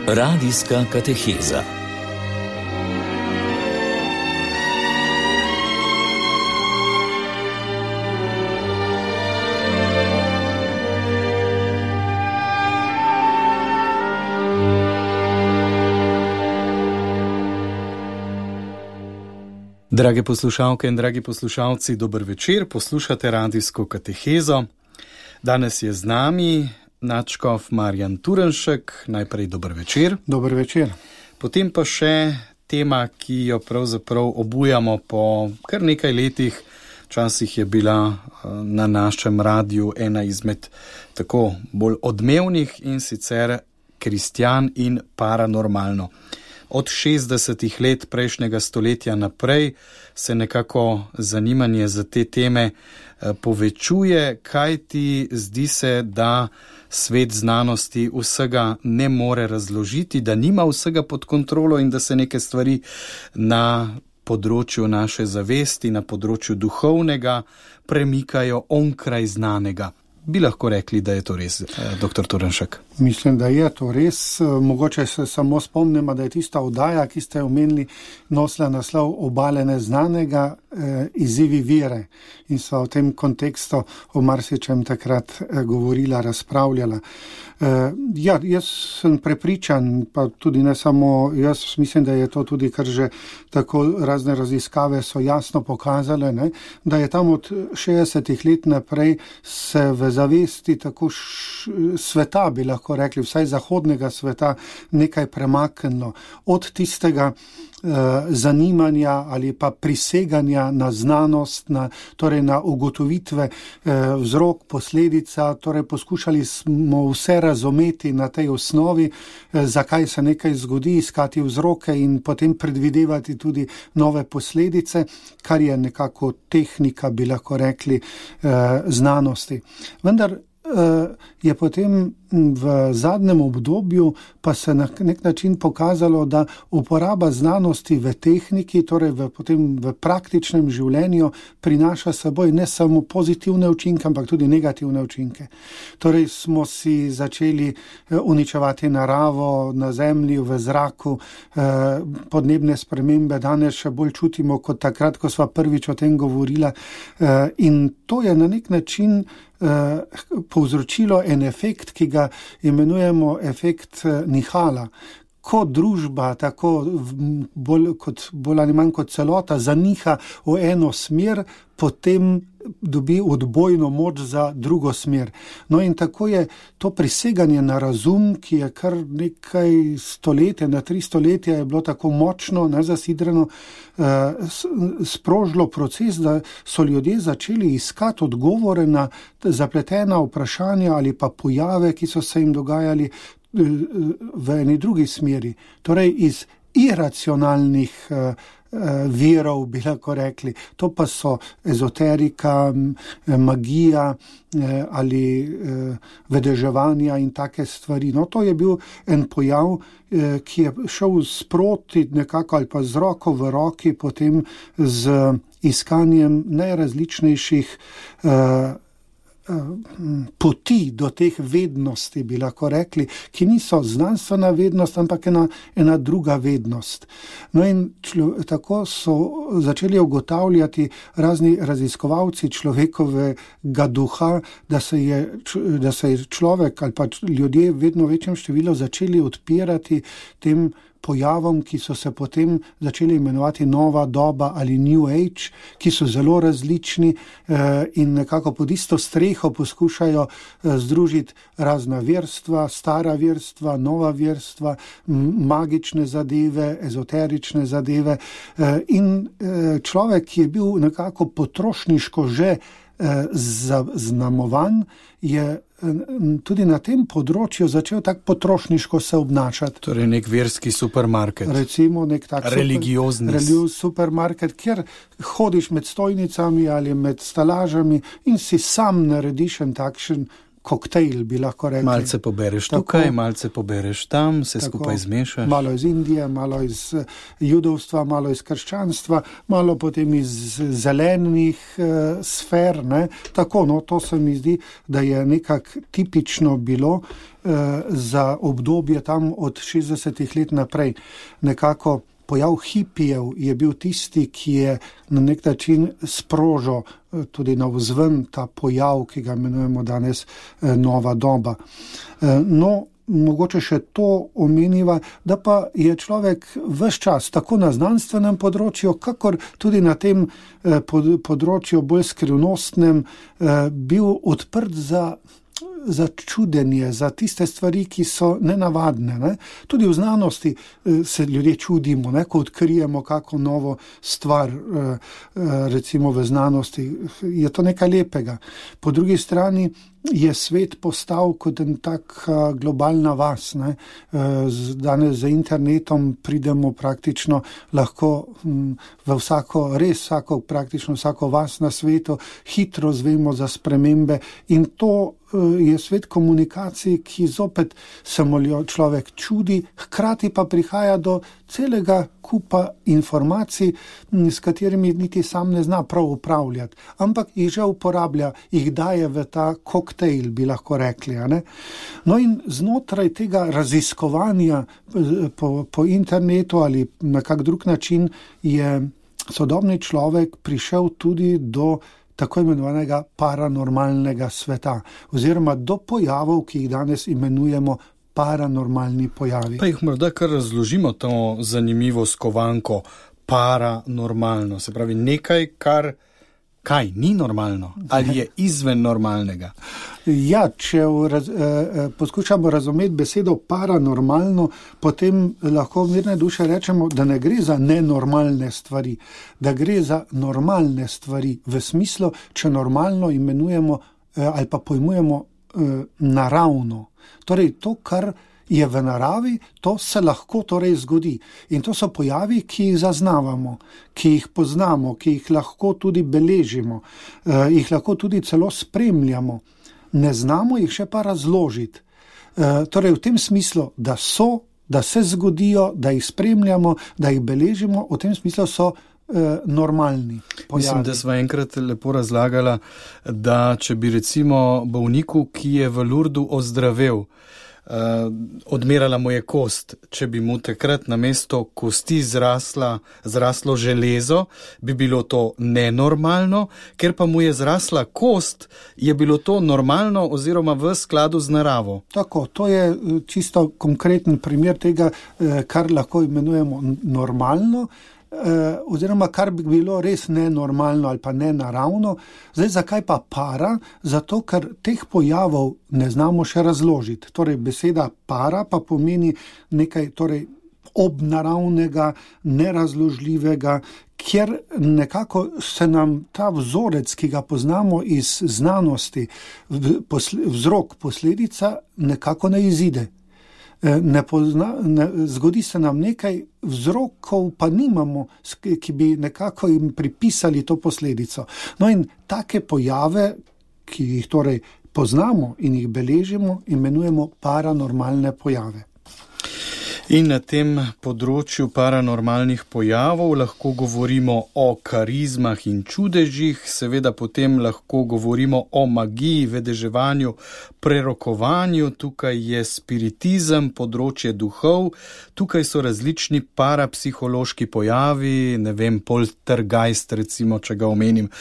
Radijska kateheza. Drage poslušalke in dragi poslušalci, dober večer, poslušate radijsko katehezo. Danes je z nami nadškof Marjan Turnšek. Najprej dober večer. Dober večer. Potem pa še tema, ki jo pravzaprav obujamo po kar nekaj letih. Včasih je bila na našem radiju ena izmed tako bolj odmevnih, in sicer kristjan in paranormalno. Od 60 let prejšnjega stoletja naprej se nekako zanimanje za te teme povečuje, kajti zdi se, da svet znanosti vsega ne more razložiti, da nima vsega pod kontrolo in da se neke stvari na področju naše zavesti, na področju duhovnega premikajo onkraj znanega. Bi lahko rekli, da je to res, dr. Turnšek? Mislim, da je to res. Mogoče se samo spomnimo, da je tista oddaja, ki ste omenili, nosila naslov Obale neznanega, izzivi vere. In sva v tem kontekstu o marsičem takrat govorila, razpravljala. Jaz sem prepričan, pa tudi ne samo jaz, mislim, da je to tudi, kar že tako razne raziskave so jasno pokazale, ne, da je tam od 60 let naprej se v zavesti tako sveta, bi lahko rekli, vsaj zahodnega sveta, nekaj premaknilo. Od tistega zanimanja ali pa priseganja na znanost, torej na ugotovitve vzrok, posledica, torej poskušali smo vse razumeti na tej osnovi, zakaj se nekaj zgodi, iskati vzroke in potem predvidevati tudi nove posledice, kar je nekako tehnika, bi lahko rekli, znanosti. Vendar je potem v zadnjem obdobju pa se na nek način pokazalo, da uporaba znanosti v tehniki, torej potem v praktičnem življenju, prinaša seboj ne samo pozitivne učinke, ampak tudi negativne učinke. Torej smo si začeli uničevati naravo na zemlji, v zraku, podnebne spremembe danes še bolj čutimo kot takrat, ko sva prvič o tem govorila, in to je na nek način povzročilo en efekt, ki ga imenujemo efekt Nihala. Ko družba, tako bolj ali manj kot celota, zaniha v eno smer, potem dobi odbojno moč za drugo smer. No in tako je to priseganje na razum, ki je kar nekaj stoletja, na 3 stoletja je bilo tako močno, nezasidrano, sprožilo proces, da so ljudje začeli iskati odgovore na zapletena vprašanja ali pa pojave, ki so se jim dogajali v eni drugi smeri. Torej iz iracionalnih virov, bi lahko rekli. To pa so ezoterika, magija ali vedeževanja in take stvari. No, to je bil en pojav, ki je šel sproti nekako ali pa z roko v roki potem z iskanjem najrazličnejših poti do teh vednosti, bi lahko rekli, ki niso znanstvena vednost, ampak ena druga vednost. No in tako so začeli ugotavljati razni raziskovalci človekovega duha, da se je človek ali pa ljudje v vedno večjem številu začeli odpirati tem pojavom, ki so se potem začeli imenovati nova doba ali New Age, ki so zelo različni in nekako pod isto streho poskušajo združiti razna verstva, stara verstva, nova verstva, magične zadeve, ezoterične zadeve. In človek, ki je bil nekako potrošniško že zaznamovan, je tudi na tem področju začel tako potrošniško se obnašati. Torej nek verski supermarket. Recimo nek tak religiozni supermarket, kjer hodiš med stojnicami ali med stalažami in si sam narediš en takšen koktejl, bi lahko rekli. Malce pobereš tukaj, malce pobereš tam, vse skupaj zmešaš. Malo iz Indije, malo iz judovstva, malo iz krščanstva, malo potem iz zelenih sfer. Ne? Tako, to se mi zdi, da je nekako tipično bilo za obdobje tam od 60 let naprej. Nekako pojav hipijev je bil tisti, ki je na nek način sprožil tudi navzven ta pojav, ki ga imenujemo danes nova doba. Mogoče še to omeniva, da pa je človek ves čas, tako na znanstvenem področju, kakor tudi na tem področju bolj skrivnostnem, bil odprt za čudenje, za tiste stvari, ki so nenavadne. Ne? Tudi v znanosti se ljudje čudimo, ne? Ko odkrijemo kako novo stvar, recimo v znanosti, je to nekaj lepega. Po drugi strani je svet postal kot en tak globalna vas. Ne? Danes z internetom pridemo praktično lahko v praktično vsako vas na svetu, hitro zvemo za spremembe in to je svet komunikacij, ki zopet se mu človek čudi, hkrati pa prihaja do celega kupa informacij, s katerimi niti sam ne zna prav upravljati, ampak jih že uporablja, jih daje v ta koktejl, bi lahko rekli. Ne? No in znotraj tega raziskovanja po internetu ali na kak drug način je sodobni človek prišel tudi do tako imenovanega paranormalnega sveta, oziroma do pojavov, ki jih danes imenujemo paranormalni pojavi. Pa jih morda kar razložimo to zanimivo skovanko paranormalno, se pravi nekaj, kaj ni normalno ali je izven normalnega. Ja, če poskušamo razumeti besedo paranormalno, potem lahko mirne duše rečemo, da ne gre za nenormalne stvari, da gre za normalne stvari, v smislu, če normalno imenujemo ali pa pojmujemo naravno. Torej, to, kar je v naravi, to se lahko torej zgodi. In to so pojavi, ki jih zaznavamo, ki jih poznamo, ki jih lahko tudi beležimo, jih lahko tudi celo spremljamo. Ne znamo jih še pa razložiti. Torej v tem smislu, da se zgodijo, da jih spremljamo, da jih beležimo, v tem smislu so normalni pojavi. Mislim, da sva enkrat lepo razlagala, da če bi recimo bolniku, ki je v Lurdu ozdravel, odmerala mu je kost, če bi mu takrat namesto kosti zraslo železo, bi bilo to nenormalno, ker pa mu je zrasla kost, je bilo to normalno oziroma v skladu z naravo. Tako, to je čisto konkreten primer tega, kar lahko imenujemo normalno, oziroma kar bi bilo res nenormalno ali pa nenaravno. Zdaj, zakaj pa para? Zato, ker teh pojavov ne znamo še razložiti. Torej, beseda para pa pomeni nekaj obnaravnega, nerazložljivega, kjer nekako se nam ta vzorec, ki ga poznamo iz znanosti, vzrok, posledica nekako ne izide. Zgodi se nam nekaj, vzrokov pa nimamo, ki bi nekako jim pripisali to posledico. No in take pojave, ki jih torej poznamo in jih beležimo, imenujemo paranormalne pojave. In na tem področju paranormalnih pojavov lahko govorimo o karizmah in čudežih, seveda potem lahko govorimo o magiji, vedeževanju, prerokovanju, tukaj je spiritizem, področje duhov, tukaj so različni parapsihološki pojavi, poltergeist recimo, če ga omenim.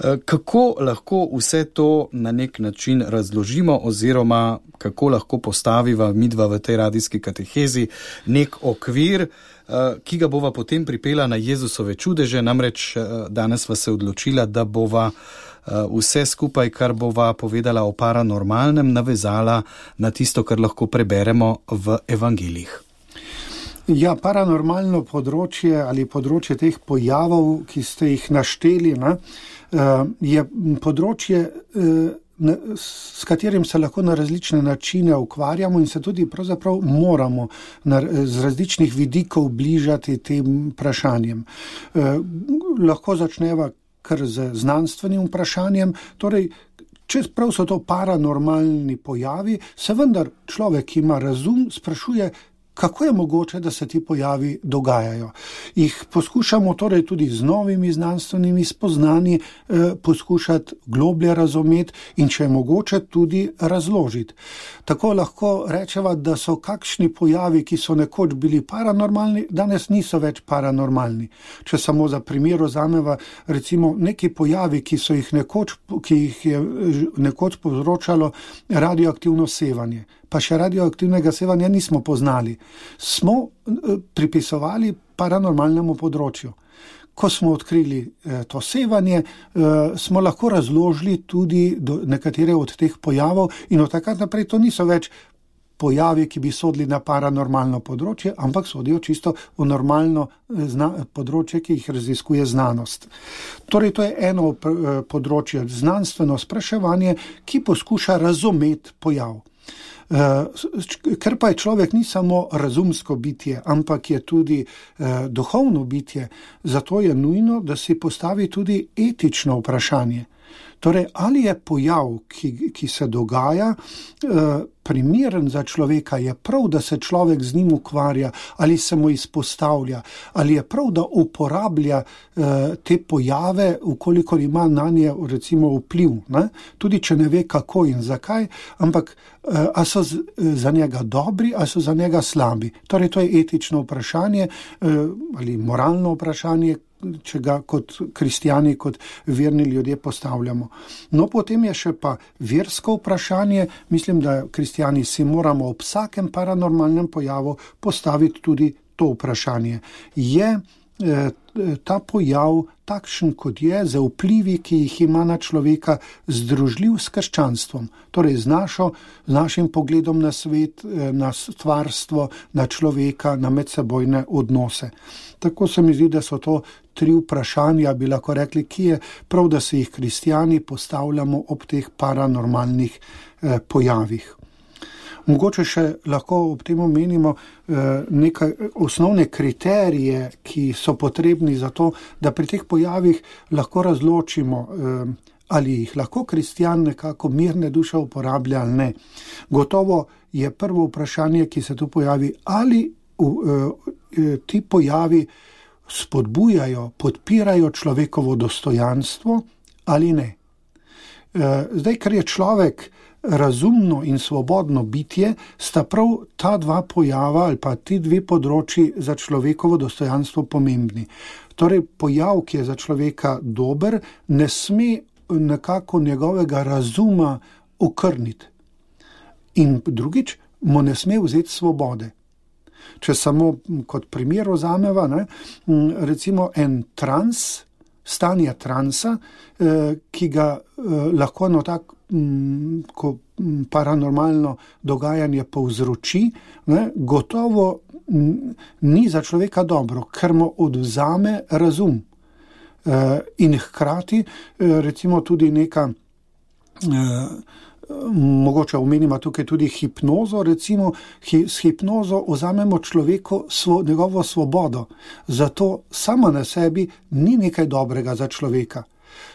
Kako lahko vse to na nek način razložimo oziroma kako lahko postaviva midva v tej radijski katehezi nek okvir, ki ga bova potem pripela na Jezusove čudeže, namreč danes sva se odločila, da bova vse skupaj, kar bova povedala o paranormalnem, navezala na tisto, kar lahko preberemo v evangelijih. Ja, paranormalno področje ali področje teh pojavov, ki ste jih našteli, je področje, s katerim se lahko na različne načine ukvarjamo in se tudi pravzaprav moramo z različnih vidikov bližati tem vprašanjem. Lahko začneva kar z znanstvenim vprašanjem, torej Čeprav so to paranormalni pojavi, se vendar človek, ki ima razum, sprašuje, kako je mogoče, da se ti pojavi dogajajo. Jih poskušamo torej tudi z novimi znanstvenimi spoznanji poskušati globlje razumeti in če je mogoče tudi razložiti. Tako lahko rečeva, da so kakšni pojavi, ki so nekoč bili paranormalni, danes niso več paranormalni. Če samo za primer vzameva recimo neki pojavi, ki jih je nekoč povzročalo radioaktivno sevanje. Pa še radioaktivnega sevanja nismo poznali. Smo pripisovali paranormalnemu področju. Ko smo odkrili to sevanje, smo lahko razložili tudi nekatere od teh pojavov in od takrat naprej to niso več pojavi, ki bi sodili na paranormalno področje, ampak sodijo čisto v normalno področje, ki jih raziskuje znanost. Torej, to je eno področje, znanstveno spraševanje, ki poskuša razumeti pojav. Ker pa je človek ni samo razumsko bitje, ampak je tudi duhovno bitje, zato je nujno, da si postavi tudi etično vprašanje. Torej, ali je pojav, ki se dogaja, primeren za človeka, je prav, da se človek z njim ukvarja, ali se mu izpostavlja, ali je prav, da uporablja te pojave, ukolikor ima nanje recimo vpliv, ne? Tudi če ne ve kako in zakaj, ampak a so za njega dobri, a so za njega slabi. Torej, to je etično vprašanje ali moralno vprašanje, če ga kot kristjani, kot verni ljudje postavljamo. No, potem je še pa versko vprašanje. Mislim, da kristjani si moramo ob vsakem paranormalnem pojavu postaviti tudi to vprašanje. Je ta pojav takšen, kot je, za vplivi, ki jih ima na človeka, združljiv s krščanstvom, torej z našim pogledom na svet, na stvarstvo, na človeka, na medsebojne odnose. Tako se mi zdi, da so to 3 vprašanja, bi lahko rekli, ki je prav, da se jih kristjani postavljamo ob teh paranormalnih pojavih. Mogoče še lahko ob tem omenimo nekaj osnovne kriterije, ki so potrebni za to, da pri teh pojavih lahko razločimo, ali jih lahko kristjan nekako mirne duše uporablja ali ne. Gotovo je prvo vprašanje, ki se tu pojavi, ali ti pojavi spodbujajo, podpirajo človekovo dostojanstvo ali ne. Zdaj, ker je človek razumno in svobodno bitje, sta prav ta 2 pojava ali pa ti 2 področji za človekovo dostojanstvo pomembni. Torej, pojav, ki je za človeka dober, ne sme nekako njegovega razuma okrniti. In drugič, mu ne sme vzeti svobode. Če samo kot primer vzameva, recimo en stanje transa, ki ga lahko ko paranormalno dogajanje povzroči, gotovo ni za človeka dobro, ker mu odvzame razum. In hkrati recimo tudi neka, mogoče omenimo tukaj tudi hipnozo, recimo s hipnozo vzamemo človeku njegovo svobodo, zato sama na sebi ni nekaj dobrega za človeka.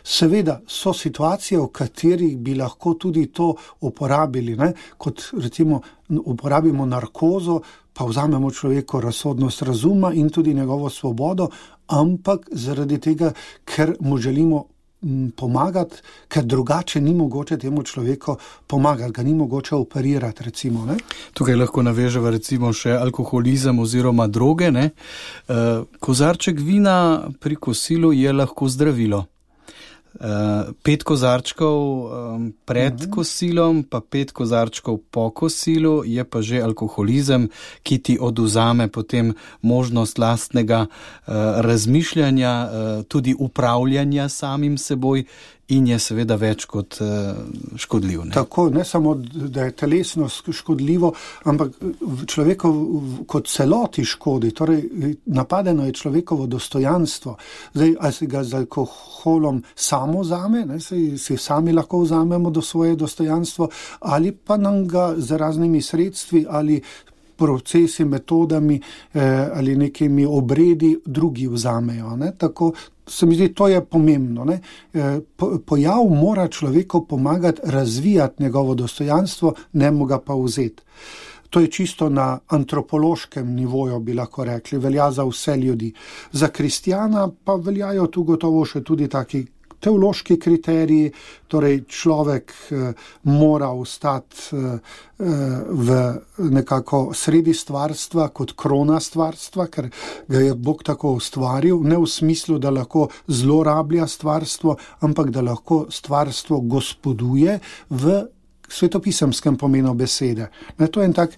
Seveda so situacije, v katerih bi lahko tudi to uporabili, kot recimo uporabimo narkozo, pa vzamemo človeku razsodnost razuma in tudi njegovo svobodo, ampak zaradi tega, ker mu želimo pomagati, ker drugače ni mogoče temu človeku pomagati, ga ni mogoče operirati, recimo. Tukaj lahko naveževa recimo še alkoholizem oziroma droge. Kozarček vina pri kosilu je lahko zdravilo. 5 kozarčkov pred kosilom, pa 5 kozarčkov po kosilu je pa že alkoholizem, ki ti odvzame potem možnost lastnega razmišljanja, tudi upravljanja samim seboj in je seveda več kot škodljiv. Tako, ne samo, da je telesno škodljivo, ampak človeku kot celoti škodi, torej napadeno je človekovo dostojanstvo. Zdaj, ali si ga z alkoholom samo vzame, si sami lahko vzamemo do svoje dostojanstvo, ali pa nam ga z raznimi sredstvi ali procesi, metodami ali nekimi obredi drugi vzamejo. Ne? Tako se mi zdi, to je pomembno. Ne? Pojav mora človeku pomagati razvijati njegovo dostojanstvo, ne mu ga pa vzeti. To je čisto na antropološkem nivoju, bi lahko rekli, velja za vse ljudi. Za kristjana pa veljajo tu gotovo še tudi taki teološki kriteriji, torej človek mora ostati v nekako sredi stvarstva kot krona stvarstva, ker ga je Bog tako ustvaril, ne v smislu, da lahko zlorablja stvarstvo, ampak da lahko stvarstvo gospoduje v svetopisemskem pomenu besede. To je en tak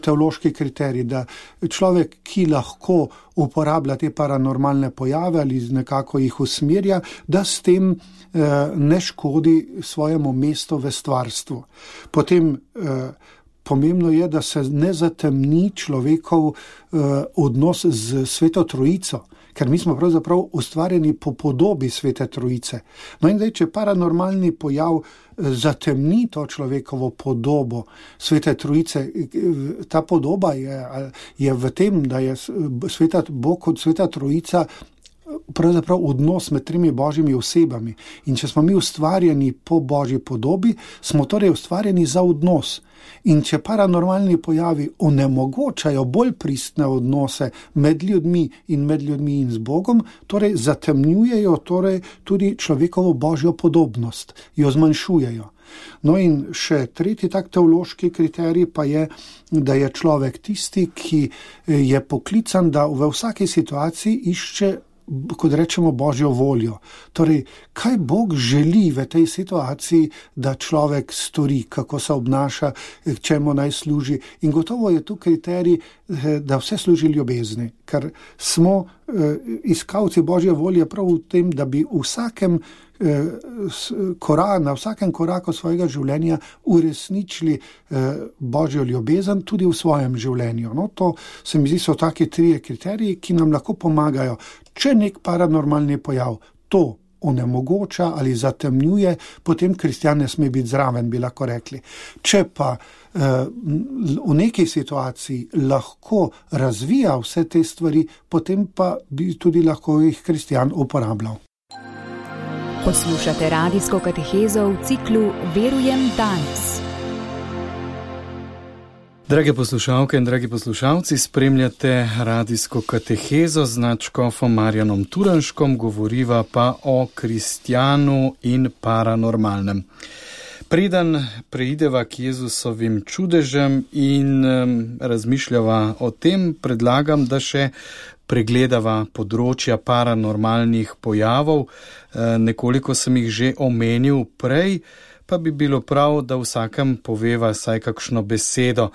teološki kriterij, da človek, ki lahko uporablja te paranormalne pojave ali nekako jih usmerja, da s tem ne škodi svojemu mestu v stvarstvu. Potem pomembno je, da se ne zatemni človekov odnos z Sveto Trojico, ker mi smo pravzaprav ustvarjeni po podobi Svete Trojice. No in zdaj, če paranormalni pojav zatemni to človekovo podobo Svete Trojice, ta podoba je v tem, da je Bog kot Sveta Trojica pravzaprav odnos med tremi božjimi osebami. In če smo mi ustvarjeni po božji podobi, smo torej ustvarjeni za odnos. In če paranormalni pojavi onemogočajo bolj pristne odnose med ljudmi in z Bogom, torej zatemnjujejo torej tudi človekovo božjo podobnost, jo zmanjšujejo. No in še tretji tak teološki kriterij pa je, da je človek tisti, ki je poklican, da v vsaki situaciji išče, kot rečemo, božjo voljo. Torej, kaj Bog želi v tej situaciji, da človek stori, kako se obnaša, čemu naj služi. In gotovo je tu kriterij, da vse služi ljubezni, ker smo iskalci božje volje prav v tem, da bi na vsakem koraku svojega življenja uresničili božjo ljubezen tudi v svojem življenju. No, to se mi zdi, so taki trije kriteriji, ki nam lahko pomagajo. Če nek paranormalni pojav to onemogoča ali zatemnjuje, potem kristjan ne sme biti zraven, bi lahko rekli. Če pa v neki situaciji lahko razvija vse te stvari, potem pa bi tudi lahko jih kristjan uporabljal. Poslušate radijsko katehezo v ciklu Verujem danes. Drage poslušalke in dragi poslušalci, spremljate radijsko katehezo z nadškofom Marjanom Turnškom, govoriva pa o kristjanu in paranormalnem. Preden preideva k Jezusovim čudežem in razmišljava o tem, predlagam, da še pregledava področja paranormalnih pojavov. Nekoliko sem jih že omenil prej, pa bi bilo prav, da vsakem poveva saj kakšno besedo.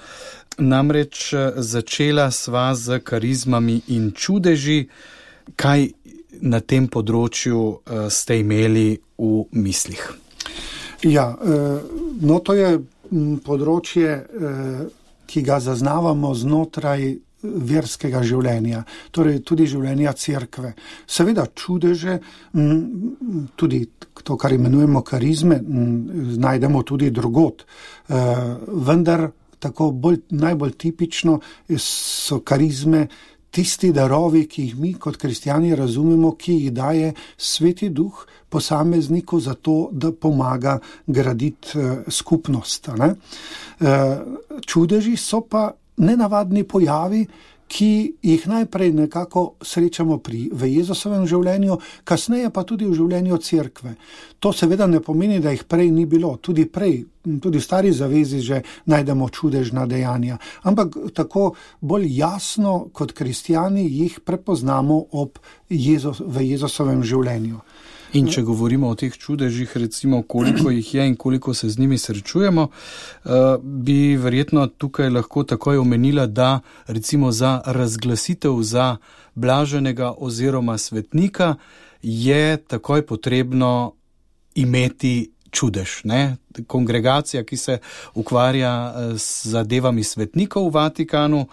Namreč začela sva z karizmami in čudeži. Kaj na tem področju ste imeli v mislih? Ja, no to je področje, ki ga zaznavamo znotraj verskega življenja, torej tudi življenja cerkve. Seveda čudeže, tudi to, kar imenujemo karizme, najdemo tudi drugod. Vendar tako najbolj tipično so karizme tisti darovi, ki jih mi kot kristjani razumemo, ki jih daje Sveti Duh posamezniku za to, da pomaga graditi skupnost. Ne? Čudeži so pa nenavadni pojavi, ki jih najprej nekako srečamo v Jezusovem življenju, kasneje pa tudi v življenju cerkve. To seveda ne pomeni, da jih prej ni bilo. Tudi v stari zavezi že najdemo čudežna dejanja. Ampak tako bolj jasno kot kristjani jih prepoznamo v Jezusovem življenju. In če govorimo o teh čudežih, recimo koliko jih je in koliko se z njimi srečujemo, bi verjetno tukaj lahko takoj omenila, da recimo za razglasitev za blaženega oziroma svetnika je takoj potrebno imeti čudež. Ne? Kongregacija, ki se ukvarja z zadevami svetnikov v Vatikanu,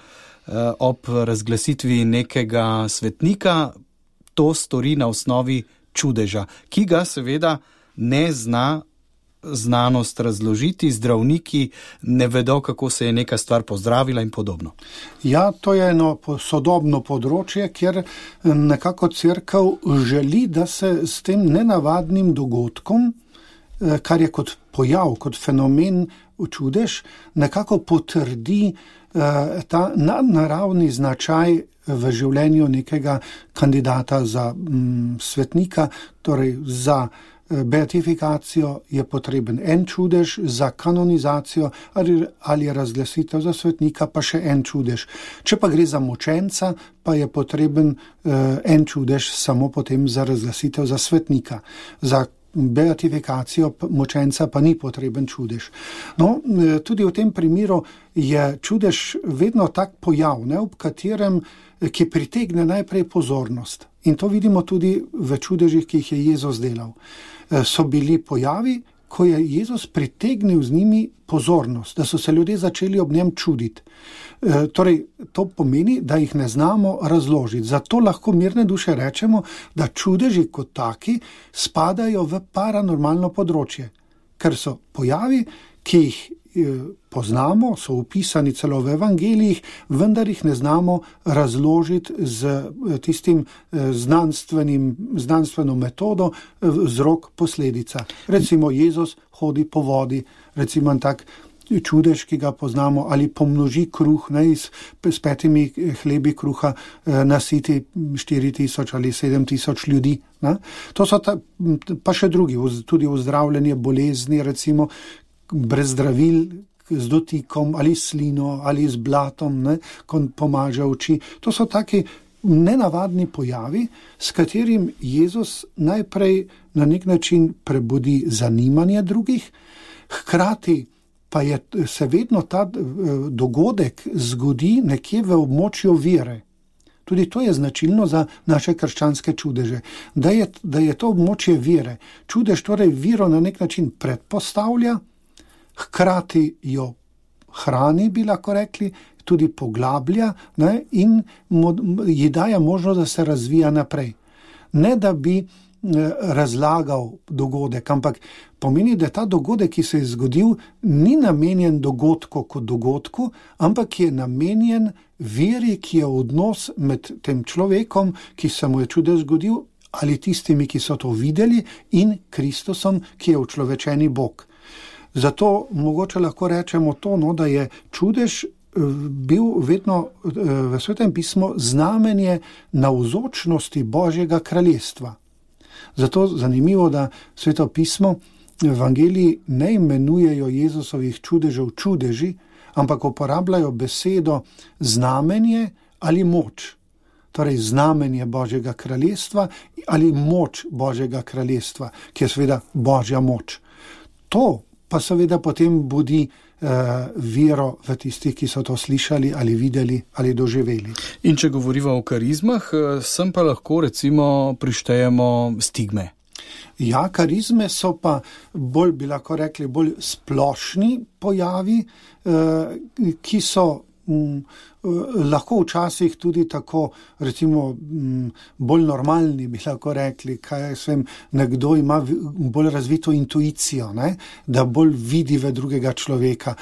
ob razglasitvi nekega svetnika to stori na osnovi čudeža, ki ga seveda ne zna znanost razložiti, zdravniki ne vedo, kako se je neka stvar pozdravila in podobno. Ja, to je eno sodobno področje, kjer nekako cerkev želi, da se s tem nenavadnim dogodkom, kar je kot pojav, kot fenomen čudež, nekako potrdi ta nadnaravni značaj v življenju nekega kandidata za svetnika, torej za beatifikacijo je potreben en čudež, za kanonizacijo ali razglasitev za svetnika pa še en čudež. Če pa gre za mučenca, pa je potreben en čudež samo potem za razglasitev za svetnika. Za beatifikacijo mučenca pa ni potreben čudež. No, tudi v tem primeru je čudež vedno tak pojav, ob katerem, ki pritegne najprej pozornost. In to vidimo tudi v čudežih, ki jih je Jezus delal. So bili pojavi, ko je Jezus pritegnil z njimi pozornost, da so se ljudje začeli ob njem čuditi. Torej, to pomeni, da jih ne znamo razložiti. Zato lahko mirne duše rečemo, da čudeži kot taki spadajo v paranormalno področje, ker so pojavi, ki jih poznamo, so opisani celo v evangelijih, vendar jih ne znamo razložiti z tistim znanstveno metodo vzrok-posledica. Recimo Jezus hodi po vodi, recimo tak čudež, ki ga poznamo, ali pomnoži kruh, s 5 hlebi kruha nasiti 4,000 ali 7,000 ljudi. To so pa še drugi, tudi uzdravljanje bolezni, recimo brez zdravil, z dotikom ali slino ali z blatom, ko pomaže oči. To so taki nenavadni pojavi, s katerim Jezus najprej na nek način prebudi zanimanje drugih, hkrati pa se vedno ta dogodek zgodi nekje v območju vere. Tudi to je značilno za naše krščanske čudeže, da je to območje vere. Čudež torej vero na nek način predpostavlja, hkrati jo hrani, bi lahko rekli, tudi poglablja in ji daje možnost, da se razvija naprej. Ne da bi razlagal dogodek, ampak pomeni, da ta dogodek, ki se je zgodil, ni namenjen dogodku kot dogodku, ampak je namenjen veri, ki je odnos med tem človekom, ki se mu je čudež zgodil, ali tistimi, ki so to videli, in Kristusom, ki je učlovečeni Bog. Zato mogoče lahko rečemo to, da je čudež bil vedno v Svetem pismu znamenje navzočnosti Božjega kraljestva. Zato zanimivo, da Sveto pismo evangeliji ne imenujejo Jezusovih čudežev čudeži, ampak uporabljajo besedo znamenje ali moč. Torej znamenje Božjega kraljestva ali moč Božjega kraljestva, ki je seveda Božja moč. To pa seveda potem budi vero v tistih, ki so to slišali ali videli ali doživeli. In če govorimo o karizmah, sem pa lahko recimo prištejemo stigme. Ja, karizme so pa bolj, bi lahko rekli, bolj splošni pojavi, ki so lahko včasih tudi tako, recimo, bolj normalni, bi lahko rekli, nekdo ima bolj razvito intuicijo, da bolj vidi v drugega človeka,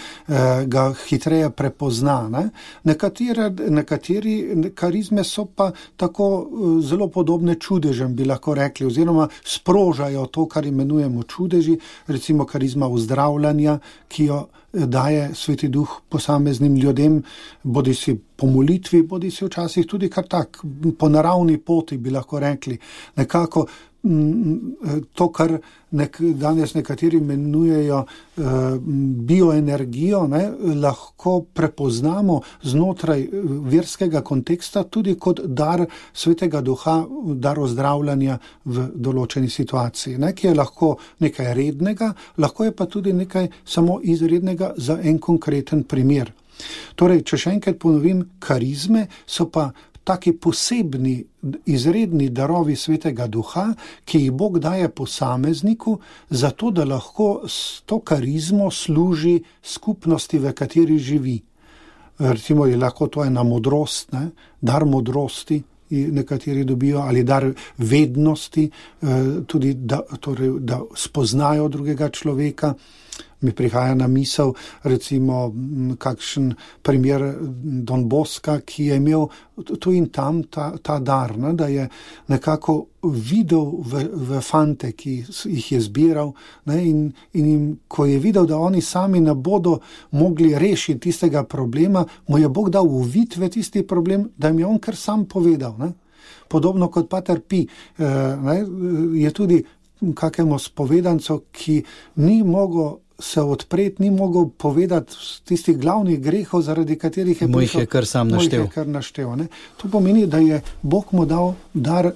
ga hitreje prepozna. Nekateri karizme so pa tako zelo podobne čudežem, bi lahko rekli, oziroma sprožajo to, kar imenujemo čudeži, recimo karizma uzdravljanja, ki jo daje Sveti Duh posameznim ljudem, bodi si po molitvi, bodi si včasih tudi kar tak, po naravni poti, bi lahko rekli. Nekako to, kar danes nekateri imenujejo bioenergijo, lahko prepoznamo znotraj verskega konteksta tudi kot dar Svetega Duha, dar ozdravljanja v določeni situaciji, ki je lahko nekaj rednega, lahko je pa tudi nekaj samo izrednega za en konkreten primer. Torej, če še enkrat ponovim, karizme so pa taki posebni, izredni darovi Svetega Duha, ki jih Bog daje posamezniku, zato da lahko s to karizmo služi skupnosti, v kateri živi. Recimo je lahko to ena modrost, dar modrosti, nekateri dobijo, ali dar vednosti, tudi da spoznajo drugega človeka. Mi prihaja na misel recimo kakšen primer Don Bosca, ki je imel tu in tam ta dar, ne, da je nekako videl v fante, ki jih je zbiral, ne, in jim, ko je videl, da oni sami ne bodo mogli rešiti tistega problema, mu je Bog dal uvid v tisti problem, da jim je on kar sam povedal. Ne. Podobno kot Pater Pi, ne, je tudi kakemu spovedancu, ki ni mogel se odpreti, ni mogel povedati tistih glavnih grehov, zaradi katerih je prišel. Moj je kar naštel. Ne? To pomeni, da je Bog mu dal dar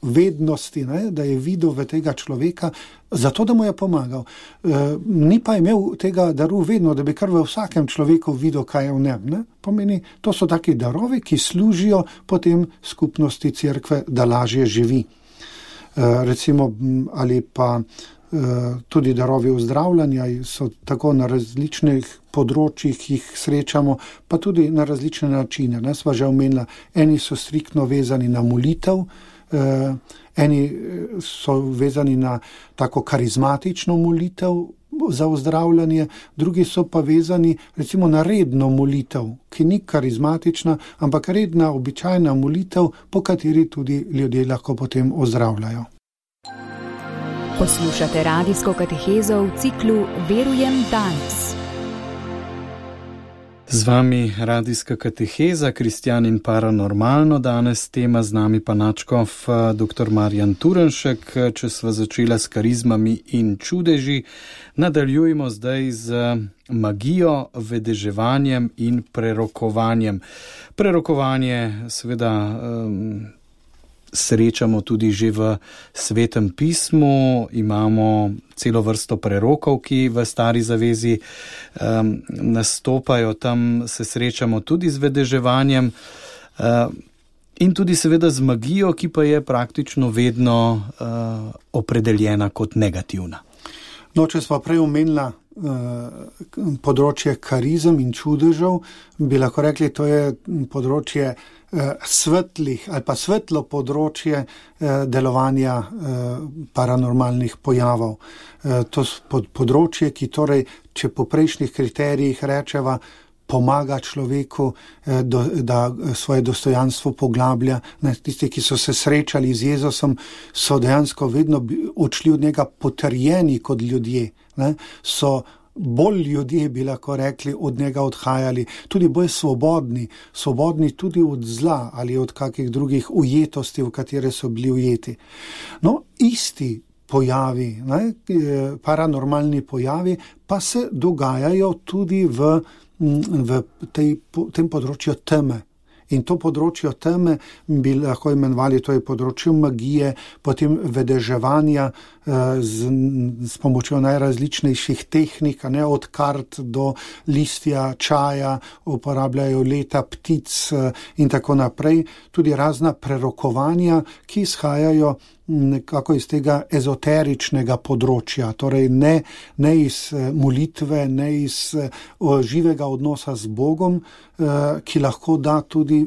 vednosti, ne? Da je videl v tega človeka, zato da mu je pomagal. Ni pa imel tega daru vedno, da bi kar v vsakem človeku videl, kaj je v njem. Ne? Pomeni, to so taki darovi, ki služijo potem skupnosti cerkve, da lažje živi. Recimo, ali pa tudi darovi ozdravljanja so tako na različnih področjih, jih srečamo, pa tudi na različne načine. Ne, sva že omenila, eni so striktno vezani na molitev, eni so vezani na tako karizmatično molitev za ozdravljanje, drugi so pa vezani recimo na redno molitev, ki ni karizmatična, ampak redna, običajna molitev, po kateri tudi ljudje lahko potem ozdravljajo. Poslušate radijsko katehezo v ciklu Verujem danes. Z vami radijska kateheza, Kristjan in paranormalno, danes tema, z nami pa nadškof dr. Marjan Turnšek. Če sva začela s karizmami in čudeži, nadaljujemo zdaj z magijo, vedeževanjem in prerokovanjem. Prerokovanje seveda srečamo tudi že v Svetem pismu, imamo celo vrsto prerokov, ki v Stari zavezi nastopajo, tam se srečamo tudi z vedeževanjem in tudi seveda z magijo, ki pa je praktično vedno opredeljena kot negativna. No, če sva prej omenila področje karizem in čudežev, bi lahko rekli, to je področje svetlih ali pa svetlo področje delovanja paranormalnih pojavov. To je področje, ki torej, če po prejšnjih kriterijih rečeva, pomaga človeku, da svoje dostojanstvo poglablja. Tisti, ki so se srečali z Jezusom, so dejansko vedno odšli od njega potrjeni kot ljudje. So bolj ljudje, bi lahko rekli, od njega odhajali, tudi bolj svobodni tudi od zla ali od kakih drugih ujetosti, v katere so bili ujeti. No, isti pojavi, paranormalni pojavi, pa se dogajajo tudi v tem področju teme. In to področje teme bi lahko imenovali, to je področje magije, potem vedeževanja s pomočjo najrazličnejših tehnik, od kart do listja, čaja, uporabljajo leta ptic in tako naprej. Tudi razna prerokovanja, ki izhajajo nekako iz tega ezoteričnega področja, torej ne iz molitve, ne iz živega odnosa z Bogom, ki lahko da tudi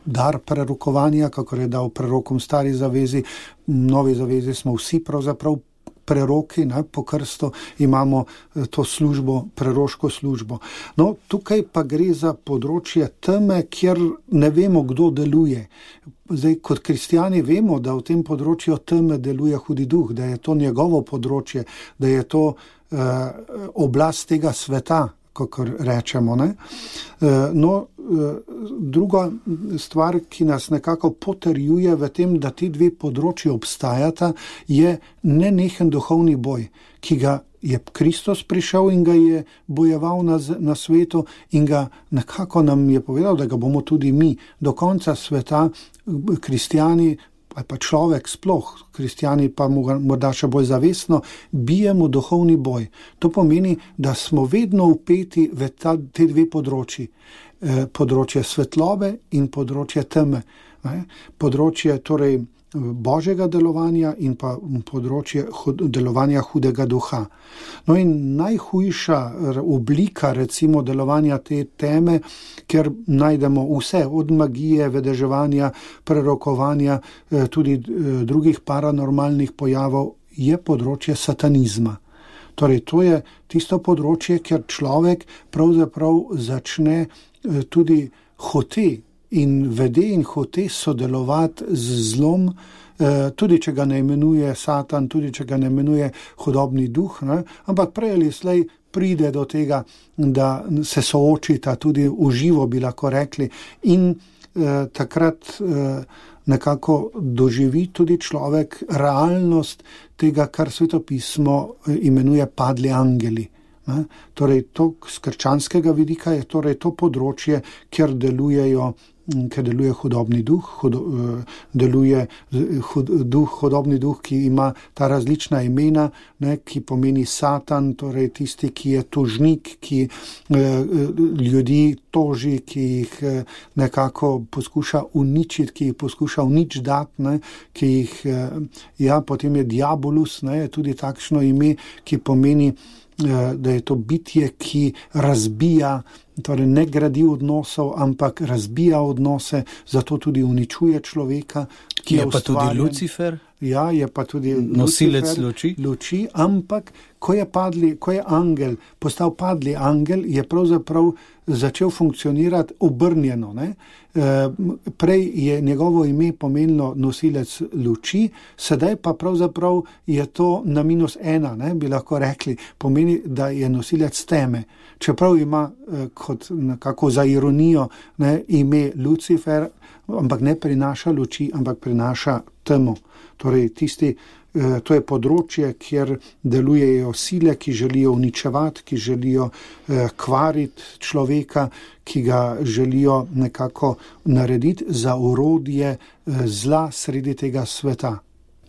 dar prerokovanja, kakor je dal prerokom Stari zavezi. V Novi zavezi smo vsi pravzaprav preroki, po krstu imamo to službo, preroško službo. No, tukaj pa gre za področje teme, kjer ne vemo, kdo deluje. Zdaj, kot kristjani vemo, da v tem področju teme deluje hudi duh, da je to njegovo področje, da je to oblast tega sveta, kakor rečemo. No, druga stvar, ki nas nekako potrjuje v tem, da ti dve področji obstajata, je nenehen duhovni boj, ki ga je Kristus prišel in ga je bojeval na svetu in ga nekako nam je povedal, da ga bomo tudi mi do konca sveta, kristjani ali pa človek sploh, kristjani pa morda še bolj zavestno, bijemo duhovni boj. To pomeni, da smo vedno vpeti v te dve področji. področje svetlobe in področje teme. Področje torej božjega delovanja in pa področje delovanja hudega duha. No in najhujša oblika recimo delovanja te teme, ker najdemo vse, od magije, vedeževanja, prerokovanja, tudi drugih paranormalnih pojavov, je področje satanizma. Torej, to je tisto področje, kjer človek pravzaprav začne tudi hote in vede in hote sodelovati z zlom, tudi če ga ne imenuje Satan, tudi če ga ne imenuje hudobni duh, ne? Ampak prej ali slej pride do tega, da se soočita tudi v živo, bi lahko rekli, in takrat nekako doživi tudi človek realnost tega, kar Svetopismo imenuje padli angeli. Torej, to z krščanskega vidika je torej to področje, kjer deluje hudobni duh, deluje hudobni duh, ki ima ta različna imena, ki pomeni Satan, torej tisti, ki je tožnik, ki ljudi toži, ki jih nekako poskuša uničiti, ki jih poskuša unič dati, ki jih, potem je diabolus, je tudi takšno ime, ki pomeni, da je to bitje, ki razbija, torej ne gradi odnosov, ampak razbija odnose, zato tudi uničuje človeka. Ki je pa tudi Lucifer? Ja, je pa tudi nosilec luči, ampak ko je angel postal padli angel, je pravzaprav začel funkcionirati obrnjeno. Prej je njegovo ime pomenilo nosilec luči, sedaj pa pravzaprav je to na -1, bi lahko rekli, pomeni, da je nosilec teme. Čeprav ima kot nekako za ironijo ime Lucifer, ampak ne prinaša luči, ampak prinaša temo. Torej, to je področje, kjer delujejo sile, ki želijo uničevati, ki želijo kvariti človeka, ki ga želijo nekako narediti za orodje zla sredi tega sveta.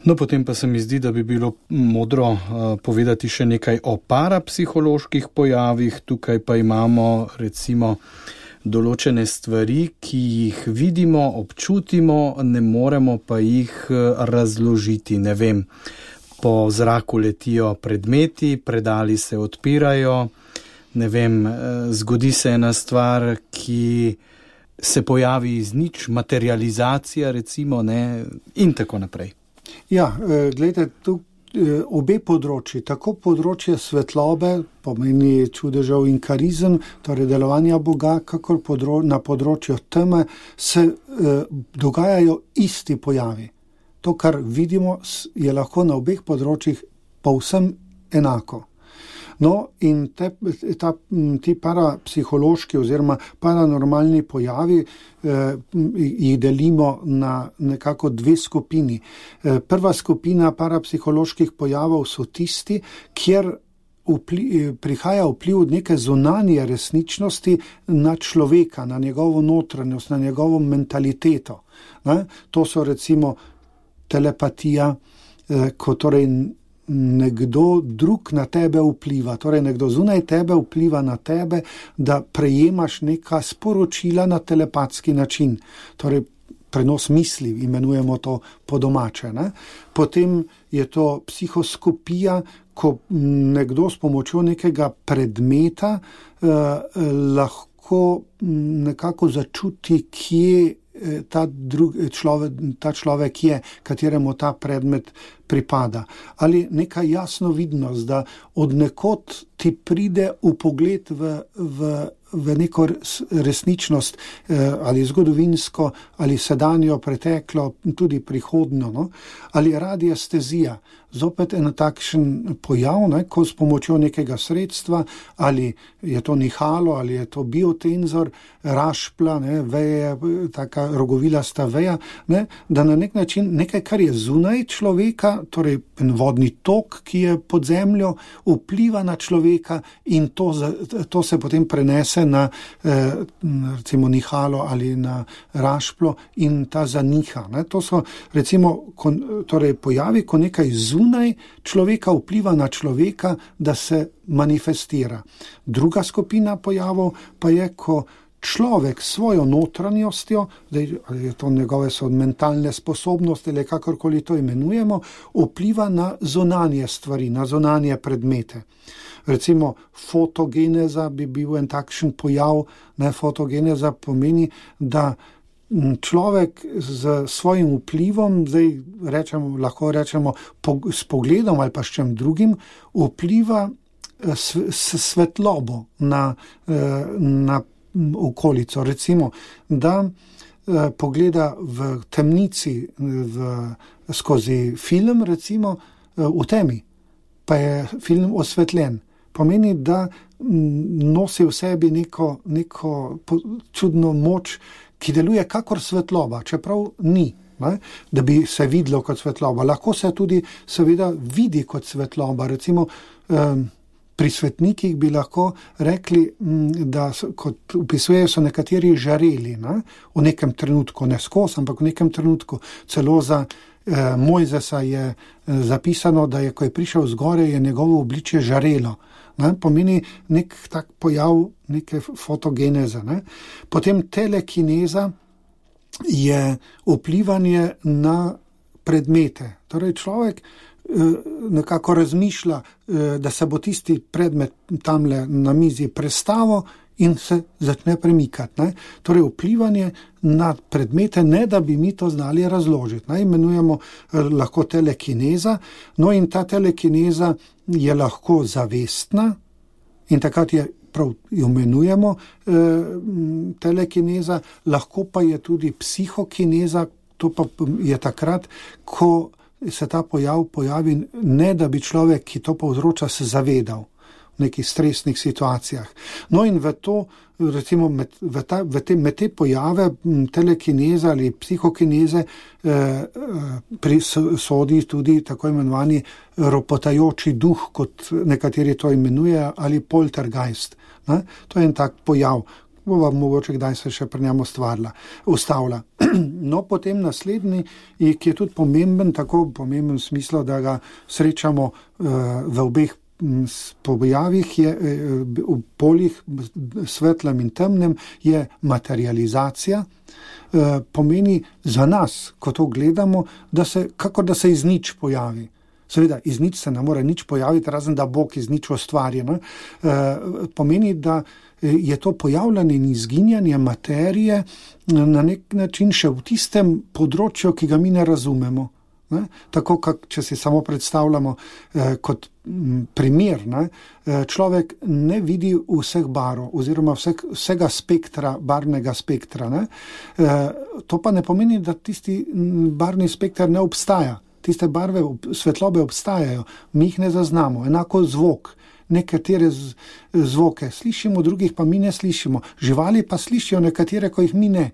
No, potem pa se mi zdi, da bi bilo modro povedati še nekaj o parapsiholoških pojavih. Tukaj pa imamo recimo določene stvari, ki jih vidimo, občutimo, ne moremo pa jih razložiti. Ne vem, po zraku letijo predmeti, predali se odpirajo, ne vem, zgodi se ena stvar, ki se pojavi iz nič, materializacija recimo, in tako naprej. Ja, gledajte, tu obe področji, tako področje svetlobe, pomeni čudežev in karizem, torej delovanja Boga, kakor na področju teme, se dogajajo isti pojavi. To, kar vidimo, je lahko na obeh področjih povsem enako. No, in ti parapsihološki oziroma paranormalni pojavi jih delimo na nekako dve skupini. Prva skupina parapsiholoških pojavov so tisti, kjer prihaja vpliv neke zunanje resničnosti na človeka, na njegovo notranjost, na njegovo mentaliteto. To so recimo telepatija, ko torej nekdo drug na tebe vpliva, torej nekdo zunaj tebe vpliva na tebe, da prejemaš neka sporočila na telepatski način. Torej prenos misli, imenujemo to po domače. Potem je to psihoskopija, ko nekdo s pomočjo nekega predmeta lahko nekako začuti, kje ta človek je, kateremu ta predmet pripada. Ali neka jasno vidnost, da od nekod ti pride vpogled v neko resničnost, ali zgodovinsko, ali sedanjo, preteklo, tudi prihodnjo, ali radiestezija. Zopet en takšen pojav, ko s pomočjo nekega sredstva, ali je to nihalo, ali je to biotenzor, rašpla, veje, taka rogovilasta veja, da na nek način nekaj, kar je zunaj človeka, torej vodni tok, ki je pod zemljo, vpliva na človeka in to se potem prenese na recimo nihalo ali na rašplo in ta zaniha. To so recimo torej pojavi, ko nekaj zunaj človeka vpliva na človeka, da se manifestira. Druga skupina pojavov pa je, ko človek svojo notranjostjo, ali je to njegove so mentalne sposobnosti ali kakorkoli to imenujemo, vpliva na zunanje stvari, na zunanje predmete. Recimo fotogeneza bi bil en takšen pojav, fotogeneza pomeni, da človek z svojim vplivom, lahko rečemo s pogledom ali pa s čem drugim, vpliva s svetlobo na okolico. Recimo, da pogleda v temnici skozi film, recimo v temi, pa je film osvetljen. Pomeni, da nosi v sebi neko čudno moč, ki deluje kakor svetloba, čeprav ni, da bi se videlo kot svetloba. Lahko se tudi seveda vidi kot svetloba. Recimo pri svetnikih bi lahko rekli, da kot opisujejo, so nekateri žareli v nekem trenutku, ne skozi, ampak v nekem trenutku. Celo za Mojzesa je zapisano, da je, ko je prišel zgore, je njegovo obličje žarelo. Pomeni nek tak pojav, neke fotogeneze. Potem telekineza je vplivanje na predmete. Torej človek nekako razmišlja, da se bo tisti predmet tamle na mizi prestavil in se začne premikati. Torej vplivanje na predmete, ne da bi mi to znali razložiti. Imenujemo lahko telekineza, no in ta telekineza je lahko zavestna in takrat je prav imenujemo telekineza, lahko pa je tudi psihokineza, to pa je takrat, ko se ta pojav pojavi, ne da bi človek, ki to povzroča, se zavedal v nekih stresnih situacijah. No in v to, recimo med te pojave telekineze ali psihokineze sodi tudi tako imenovani ropotajoči duh, kot nekateri to imenujejo, ali poltergeist. To je en tak pojav. Bova mogoče kdaj se še pri njemu ustavlja. No, potem naslednji, ki je tudi pomemben, tako pomemben v smislu, da ga srečamo v obeh pojavih, v poljih, svetlem in temnem, je materializacija. Pomeni za nas, ko to gledamo, kakor da se iz nič pojavi. Seveda, iz nič se ne more nič pojaviti, razen da Bog iz nič ustvari. Pomeni, da je to pojavljanje in izginjanje materije na nek način še v tistem področju, ki ga mi ne razumemo. Tako, če si samo predstavljamo kot primer, človek ne vidi vseh barv oziroma vsega spektra, barvnega spektra. To pa ne pomeni, da tisti barvni spektr ne obstaja. Tiste barve, svetlobe obstajajo, mi jih ne zaznamo. Enako zvok. Nekatere zvoke slišimo, drugih pa mi ne slišimo. Živali pa slišijo nekatere, ko jih mi ne.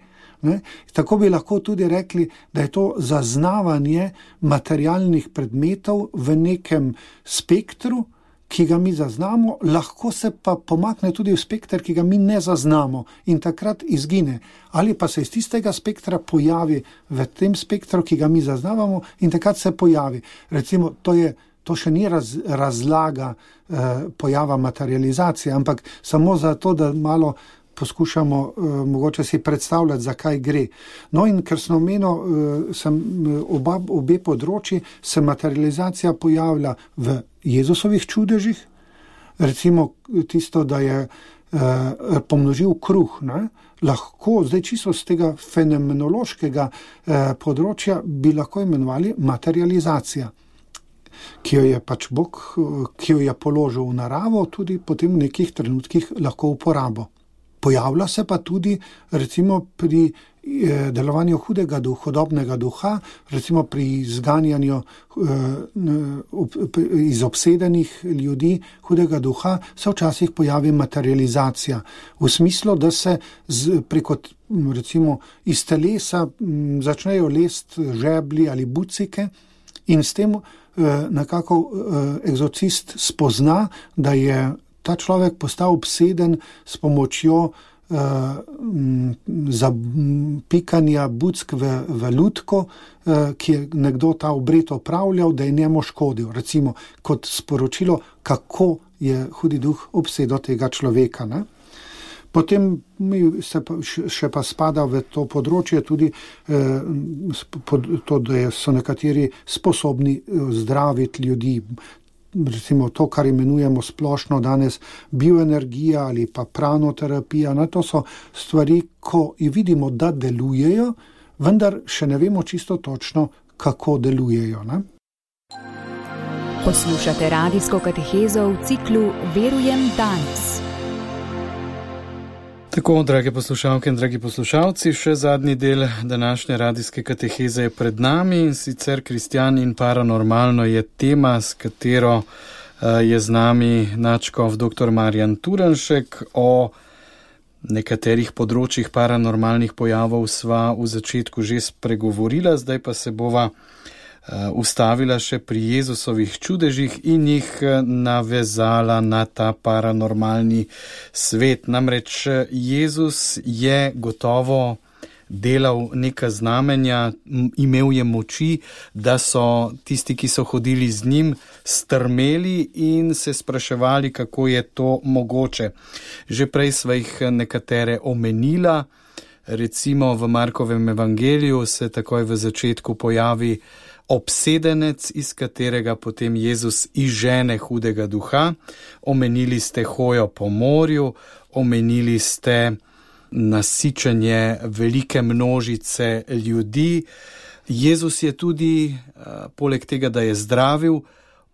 Tako bi lahko tudi rekli, da je to zaznavanje materialnih predmetov v nekem spektru, ki ga mi zaznamo, lahko se pa pomakne tudi v spektr, ki ga mi ne zaznamo in takrat izgine. Ali pa se iz tistega spektra pojavi v tem spektru, ki ga mi zaznavamo in takrat se pojavi. Recimo, to še ni razlaga pojava materializacije, ampak samo zato, da malo poskušamo mogoče si predstavljati, zakaj gre. No in ker sem omenil, obe področji, se materializacija pojavlja v Jezusovih čudežih, recimo tisto, da je pomnožil kruh, lahko, zdaj čisto z tega fenomenološkega področja bi lahko imenovali materializacija, ki jo je pač Bog, ki jo je položil v naravo, tudi potem v nekih trenutkih lahko uporabo. Pojavlja se pa tudi recimo pri delovanju hudega hudobnega duha, recimo pri izganjanju iz obsedenih ljudi hudega duha, se včasih pojavi materializacija. V smislu, da se preko recimo iz telesa začnejo lest žeblji ali bucike in s tem nekako egzorcist spozna, da je ta človek postal obseden s pomočjo zapikanja buck v lutko, ki je nekdo ta obred opravljal, da je njemu škodil. Recimo kot sporočilo, kako je hudi duh obsedel tega človeka. Potem se še pa spada v to področje tudi to, da so nekateri sposobni zdraviti ljudi. Recimo to, kar imenujemo splošno danes bioenergija ali pa pranoterapija. To so stvari, ko vidimo, da delujejo, vendar še ne vemo čisto točno, kako delujejo. Ne? Poslušate radijsko katehezo v ciklu Verujem danes. Tako, drage poslušalke in dragi poslušalci, še zadnji del današnje radijske kateheze je pred nami, in sicer Kristjan in paranormalno je tema, s katero je z nami nadškof dr. Marjan Turnšek. O nekaterih področjih paranormalnih pojavov sva v začetku že spregovorila, zdaj pa se bova ustavila še pri Jezusovih čudežih in jih navezala na ta paranormalni svet. Namreč Jezus je gotovo delal neka znamenja, imel je moči, da so tisti, ki so hodili z njim, strmeli in se spraševali, kako je to mogoče. Že prej sva jih nekatere omenila, recimo v Markovem evangeliju se takoj v začetku pojavi obsedenec, iz katerega potem Jezus izžene hudega duha. Omenili ste hojo po morju, omenili ste nasičenje velike množice ljudi. Jezus je tudi, poleg tega, da je zdravil,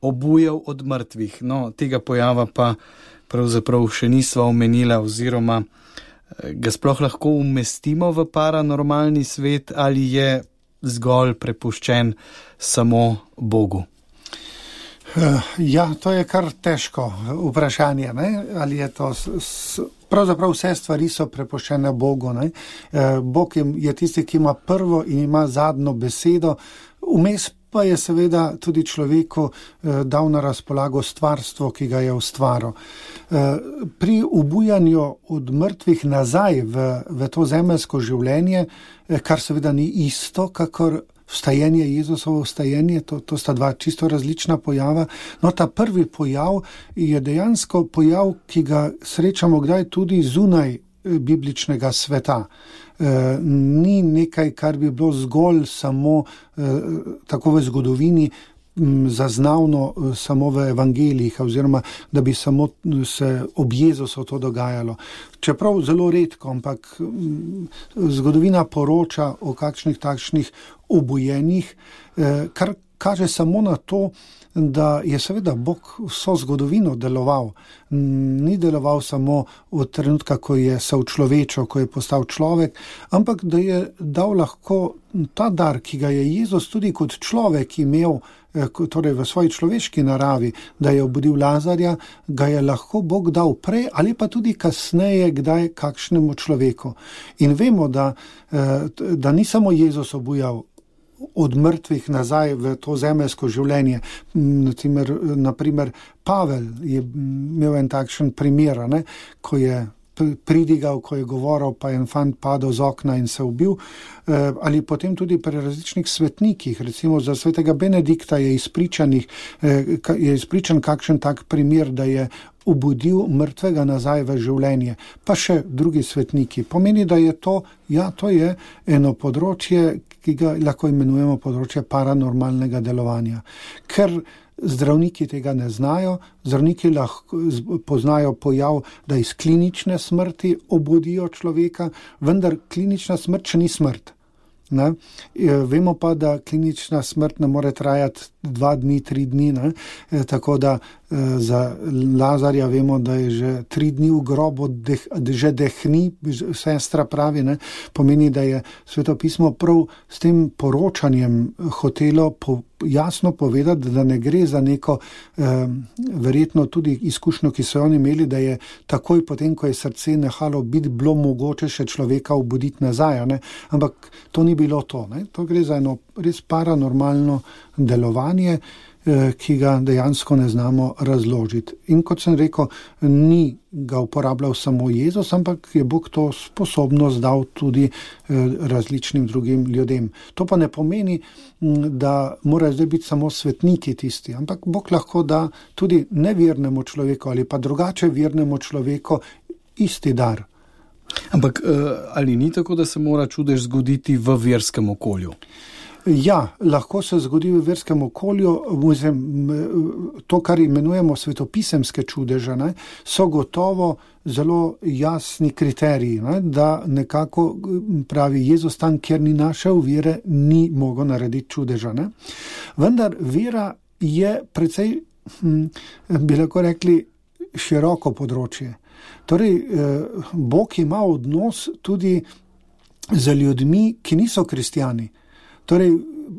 obujal od mrtvih. Tega pojava pa pravzaprav še nisva omenila, oziroma ga sploh lahko umestimo v paranormalni svet ali je zgolj prepuščen samo Bogu? Ja, to je kar težko vprašanje, ne? Ali je to pravzaprav vse stvari so prepuščene Bogu, ne? Bog je tisti, ki ima prvo in ima zadnjo besedo, vmes pa je seveda tudi človeku dal na razpolago stvarstvo, ki ga je ustvaril. Pri obujanju od mrtvih nazaj v to zemeljsko življenje, kar seveda ni isto, kakor vstajenje, Jezusovo vstajenje, to sta dva čisto različna pojava. Ta prvi pojav je dejansko pojav, ki ga srečamo kdaj tudi zunaj bibličnega sveta. Ni nekaj, kar bi bilo zgolj samo tako v zgodovini zaznavno samo v evangelijih, oziroma da bi samo se ob Jezusu to dogajalo. Čeprav zelo redko, ampak zgodovina poroča o kakšnih takšnih obujenjih, kar kaže samo na to, da je seveda Bog vso zgodovino deloval. Ni deloval samo od trenutka, ko je se učlovečil, ko je postal človek, ampak da je dal lahko ta dar, ki ga je Jezus tudi kot človek imel, torej v svoji človeški naravi, da je obudil Lazarja, ga je lahko Bog dal prej ali pa tudi kasneje kdaj kakšnemu človeku. In vemo, da ni samo Jezus obujal od mrtvih nazaj v to zemeljsko življenje. Naprimer, Pavel je imel en takšen primer, ne? Ko je pridigal, ko je govoril, pa je en fant padel z okna in se ubil. Ali potem tudi pri različnih svetnikih, recimo za svetega Benedikta je izpričan kakšen tak primer, da je obudil mrtvega nazaj v življenje, pa še drugi svetniki. Pomeni, da je to je eno področje, ki ga lahko imenujemo področje paranormalnega delovanja. Ker zdravniki tega ne znajo, zdravniki lahko poznajo pojav, da iz klinične smrti obudijo človeka, vendar klinična smrt še ni smrt. Ne? Vemo pa, da klinična smrt ne more trajati 2 dni, 3 dni, ne? Tako da za Lazarja vemo, da je že 3 dni v grobu, že dehni, sestra pravi, ne? Pomeni, da je Sveto pismo prav s tem poročanjem hotelo jasno povedati, da ne gre za neko verjetno tudi izkušnjo, ki so oni imeli, da je takoj potem, ko je srce nehalo biti, bilo mogoče še človeka obuditi nazaj, ne? Ampak to ni bilo to, ne? To gre za eno res paranormalno delovanje, ki ga dejansko ne znamo razložiti. In kot sem rekel, ni ga uporabljal samo Jezus, ampak je Bog to sposobnost dal tudi različnim drugim ljudem. To pa ne pomeni, da morajo zdaj biti samo svetniki tisti, ampak Bog lahko da tudi nevernemu človeku ali pa drugače vernemu človeku isti dar. Ampak ali ni tako, da se mora čudež zgoditi v verskem okolju? Ja, lahko se zgodi v verskem okolju. To, kar imenujemo svetopisemske čudeže, so gotovo zelo jasni kriteriji, da nekako pravi Jezus tam, kjer ni našel vere, ni mogel narediti čudeža. Vendar vera je precej, bi lahko rekli, široko področje. Torej, Bog ima odnos tudi z ljudmi, ki niso kristjani. Torej,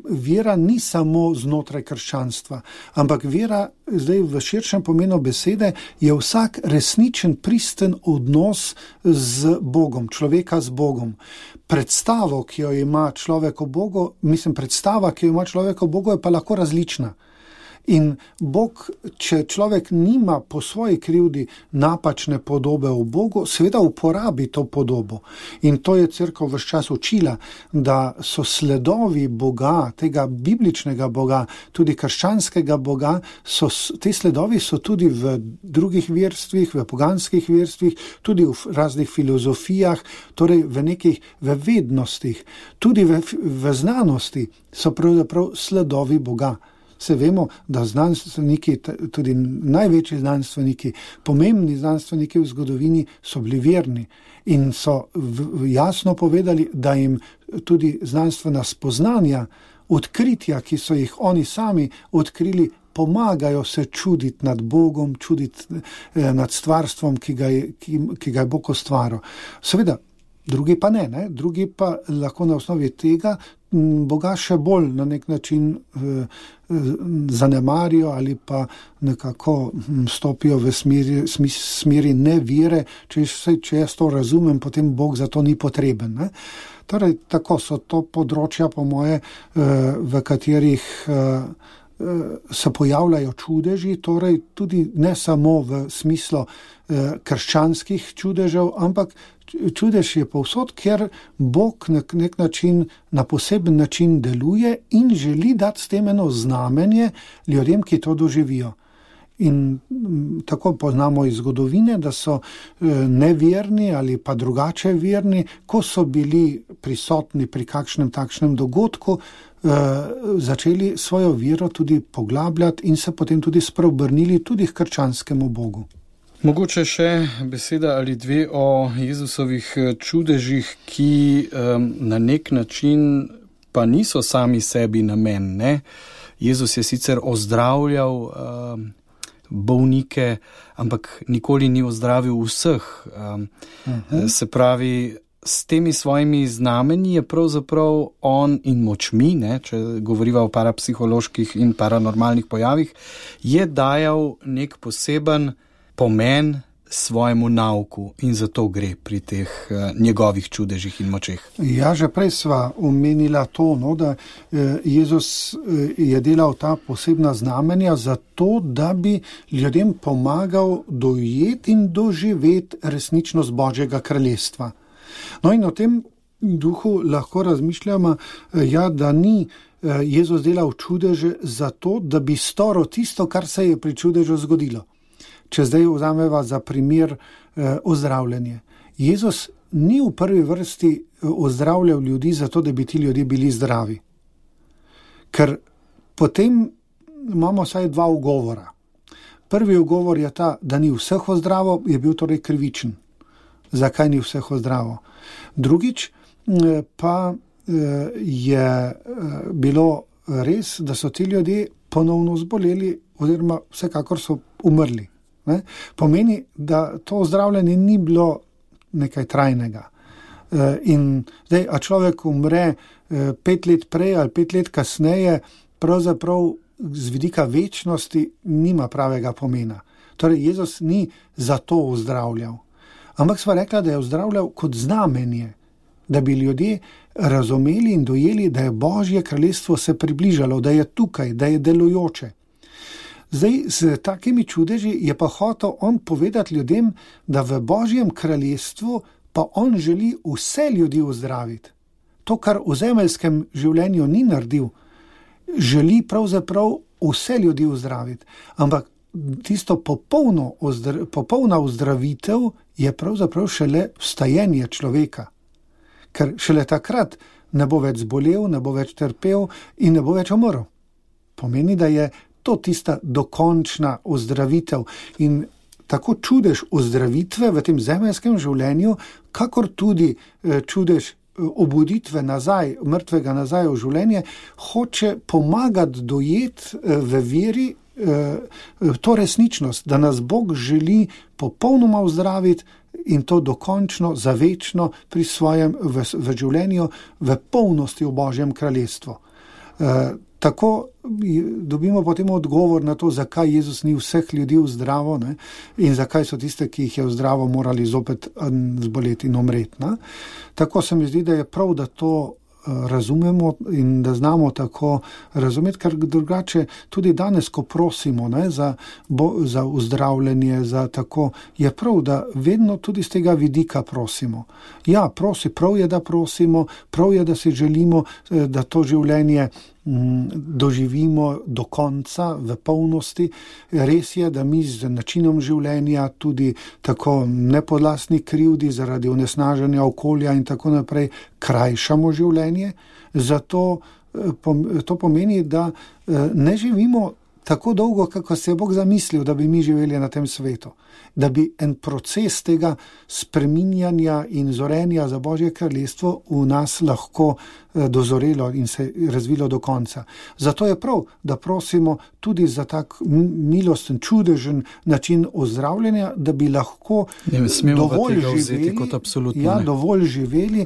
vera ni samo znotraj krščanstva, ampak vera, zdaj v širšem pomenu besede, je vsak resničen, pristen odnos z Bogom, človeka z Bogom. Predstava, ki jo ima človek o Bogu, je pa lahko različna. In Bog, če človek nima po svoji krivdi napačne podobe o Bogu, seveda uporabi to podobo. In to je cerkev ves čas učila, da so sledovi Boga, tega bibličnega Boga, tudi krščanskega Boga, te sledovi so tudi v drugih verstvih, v poganskih verstvih, tudi v raznih filozofijah, torej v vednostih, tudi v znanosti so pravzaprav sledovi Boga. Se vemo, da znanstveniki, tudi največji znanstveniki, pomembni znanstveniki v zgodovini so bili verni in so jasno povedali, da jim tudi znanstvena spoznanja, odkritja, ki so jih oni sami odkrili, pomagajo se čuditi nad Bogom, čuditi nad stvarstvom, ki ga je Bog ustvaril. Seveda, drugi pa ne, drugi pa lahko na osnovi tega Boga še bolj na nek način zanemarijo ali pa nekako stopijo v smeri nevere, če jaz to razumem, potem Bog za to ni potreben. Torej, tako so to področja, po moje, v katerih se pojavljajo čudeži, torej tudi ne samo v smislu krščanskih čudežev, ampak čudež je povsod, ker Bog na nek način, na poseben način deluje in želi dati s tem eno znamenje ljudem, ki to doživijo. In tako poznamo iz zgodovine, da so neverni ali pa drugače verni, ko so bili prisotni pri kakšnem takšnem dogodku, začeli svojo vero tudi poglabljati in se potem tudi spreobrnili tudi k krščanskemu Bogu. Mogoče še beseda ali dve o Jezusovih čudežih, ki na nek način pa niso sami sebi namen. Jezus je sicer ozdravljal bolnike, ampak nikoli ni ozdravil vseh. Se pravi, s temi svojimi znamenji je pravzaprav on in močmi, če govoriva o parapsiholoških in paranormalnih pojavih, je dajal nek poseben pomen svojemu nauku in zato gre pri teh njegovih čudežih in močeh. Ja, že prej sva omenila to, da Jezus je delal ta posebna znamenja zato, da bi ljudem pomagal dojeti in doživeti resničnost Božjega kraljestva. No in o tem duhu lahko razmišljamo, da ni Jezus delal čudeže zato, da bi storil tisto, kar se je pri čudežu zgodilo. Če zdaj vzameva za primer ozdravljanje. Jezus ni v prvi vrsti ozdravljal ljudi zato, da bi ti ljudje bili zdravi. Ker potem imamo vsaj dva ugovora. Prvi ugovor je ta, da ni vseh ozdravil, je bil torej krivičen. Zakaj ni vseh ozdravil? Drugič pa je bilo res, da so ti ljudje ponovno zboleli oziroma vsekakor so umrli. Pomeni, da to ozdravljanje ni bilo nekaj trajnega. In zdaj, a človek umre 5 let prej ali 5 let kasneje, pravzaprav z vidika večnosti nima pravega pomena. Torej, Jezus ni zato ozdravljal. Ampak sva rekla, da je ozdravljal kot znamenje, da bi ljudje razumeli in dojeli, da je Božje kraljestvo se približalo, da je tukaj, da je delujoče. Zdaj, z takimi čudeži je pa hotel on povedati ljudem, da v Božjem kraljestvu pa on želi vse ljudi ozdraviti. To, kar v zemeljskem življenju ni naredil, želi pravzaprav vse ljudi ozdraviti. Ampak tisto popolna ozdravitev je pravzaprav šele vstajenje človeka. Ker šele takrat ne bo več zbolel, ne bo več trpel in ne bo več umrl. Pomeni, da je to tista dokončna ozdravitev. In tako čudež ozdravitve v tem zemeljskem življenju, kakor tudi čudež obuditve nazaj, mrtvega nazaj v življenje, hoče pomagati dojeti v veri to resničnost, da nas Bog želi popolnoma ozdraviti in to dokončno, zavečno pri svojem v življenju, v polnosti v Božjem kraljestvu. Tako dobimo potem odgovor na to, zakaj Jezus ni vseh ljudi vzdravo, ne? In zakaj so tiste, ki jih je vzdravo, morali zopet zboleti in umreti. Ne? Tako se mi zdi, da je prav, da to razumemo in da znamo tako razumeti, ker drugače tudi danes, ko prosimo, ne, za uzdravljenje, za tako, je prav, da vedno tudi z tega vidika prosimo. Ja, prav je, da prosimo, prav je, da si želimo, da to življenje doživimo do konca v polnosti. Res je, da mi z načinom življenja tudi tako nepodlastni krivdi zaradi onesnaženja okolja in tako naprej krajšamo življenje. Zato to pomeni, da ne živimo tako dolgo, kako se je Bog zamislil, da bi mi živeli na tem svetu. Da bi en proces tega spreminjanja in zorenja za Božje kraljestvo v nas lahko dozorelo in se razvilo do konca. Zato je prav, da prosimo tudi za tak milosten, čudežen način ozdravljanja, da bi lahko dovolj živeli,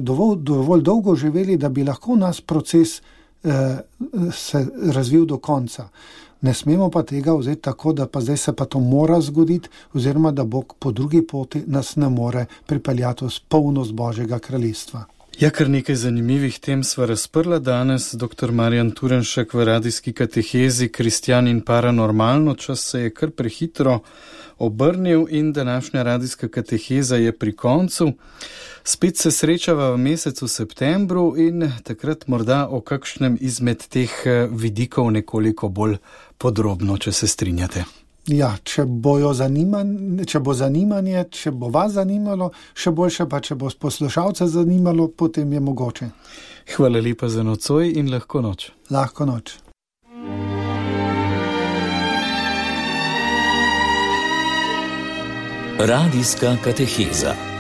dovolj dolgo živeli, da bi lahko nas proces se razvil do konca. Ne smemo pa tega vzeti tako, da pa zdaj se pa to mora zgoditi, oziroma da Bog po drugi poti nas ne more pripeljati v polnost Božjega kraljestva. Ja, kar nekaj zanimivih tem sva razprla danes. Dr. Marjan Turnšek v radijski katehezi Kristjan in paranormalno. Čas se je kar prehitro obrnil in današnja radijska kateheza je pri koncu. Spet se srečava v mesecu septembru in takrat morda o kakšnem izmed teh vidikov nekoliko bolj podrobno, če se strinjate. Ja, če bo zanimanje, če bo vas zanimalo, še boljše pa, če bo poslušalce zanimalo, potem je mogoče. Hvala lepa za nocoj in lahko noč. Lahko noč. Radijska kateheza.